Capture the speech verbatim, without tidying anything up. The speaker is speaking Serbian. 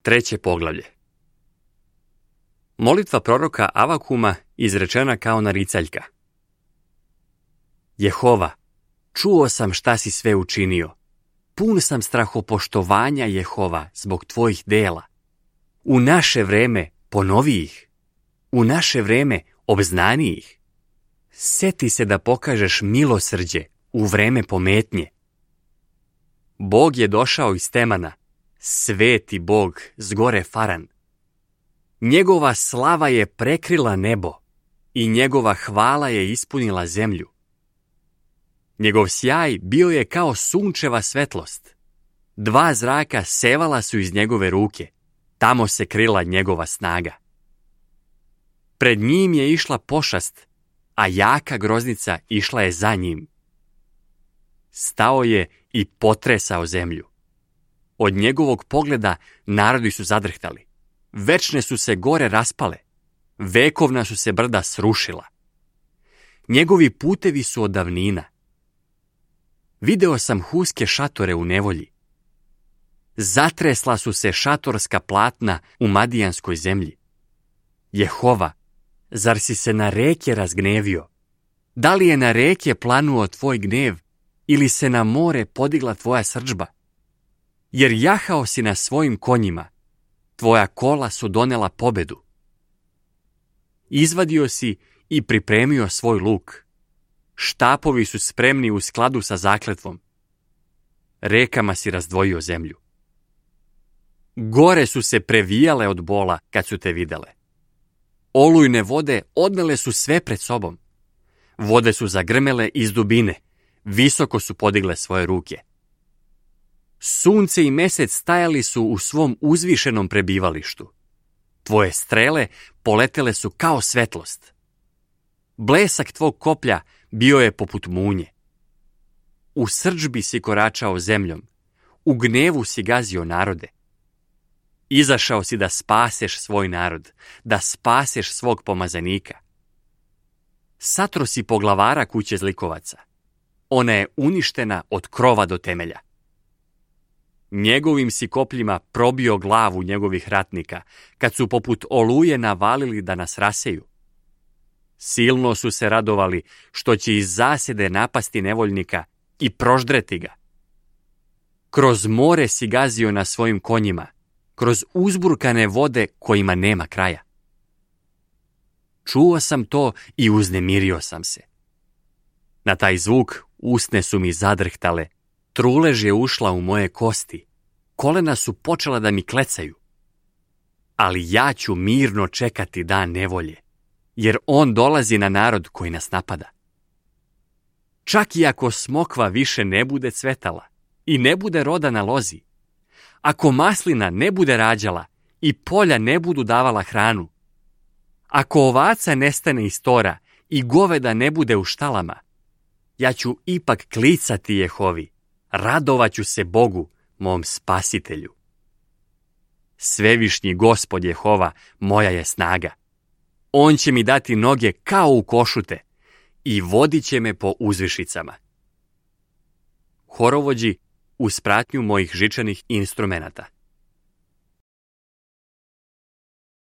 Treće poglavlje. Molitva proroka Avakuma izrečena kao naricaljka. Jehova, čuo sam šta si sve učinio. Pun sam strahopoštovanja, Jehova, zbog tvojih dela. U naše vreme ponovi ih. U naše vreme obznani ih. Seti se da pokažeš milosrđe u vreme pometnje. Bog je došao iz Temana, sveti Bog s gore Faran. Njegova slava je prekrila nebo i njegova hvala je ispunila zemlju. Njegov sjaj bio je kao sunčeva svetlost. Dva zraka sevala su iz njegove ruke. Tamo se krila njegova snaga. Pred njim je išla pošast, a jaka groznica išla je za njim. Stao je i potresao zemlju. Od njegovog pogleda narodi su zadrhtali. Večne su se gore raspale. Vekovna su se brda srušila. Njegovi putevi su od davnina. Video sam huske šatore u nevolji. Zatresla su se šatorska platna u madijanskoj zemlji. Jehova, zar si se na reke razgnevio? Da li je na reke planuo tvoj gnev ili se na more podigla tvoja srdžba? Jer jahao si na svojim konjima, tvoja kola su donela pobedu. Izvadio si i pripremio svoj luk. Štapovi su spremni u skladu sa zakletvom. Rekama si razdvojio zemlju. Gore su se previjale od bola kad su te videle. Olujne vode odnele su sve pred sobom. Vode su zagrmele iz dubine, visoko su podigle svoje ruke. Sunce i mesec stajali su u svom uzvišenom prebivalištu. Tvoje strele poletele su kao svetlost. Blesak tvog koplja bio je poput munje. U srdžbi si koračao zemljom, u gnevu si gazio narode. Izašao si da spaseš svoj narod, da spaseš svog pomazanika. Satro si poglavara kuće zlikovaca. Ona je uništena od krova do temelja. Njegovim si kopljima probio glavu njegovih ratnika, kad su poput oluje navalili da nas raseju. Silno su se radovali što će iz zasjede napasti nevoljnika i proždreti ga. Kroz more si gazio na svojim konjima, kroz uzburkane vode kojima nema kraja. Čuo sam to i uznemirio sam se. Na taj zvuk usne su mi zadrhtale, trulež je ušla u moje kosti, kolena su počela da mi klecaju. Ali ja ću mirno čekati dan nevolje, jer on dolazi na narod koji nas napada. Čak i ako smokva više ne bude cvetala i ne bude roda na lozi, ako maslina ne bude rađala i polja ne budu davala hranu, ako ovaca nestane iz tora i goveda ne bude u štalama, ja ću ipak klicati Jehovi, radovaću se Bogu, mom spasitelju. Svevišnji Gospod Jehova moja je snaga. On će mi dati noge kao u košute i vodit će me po uzvišicama. Horovođi uz pratnju mojih žičanih instrumenata.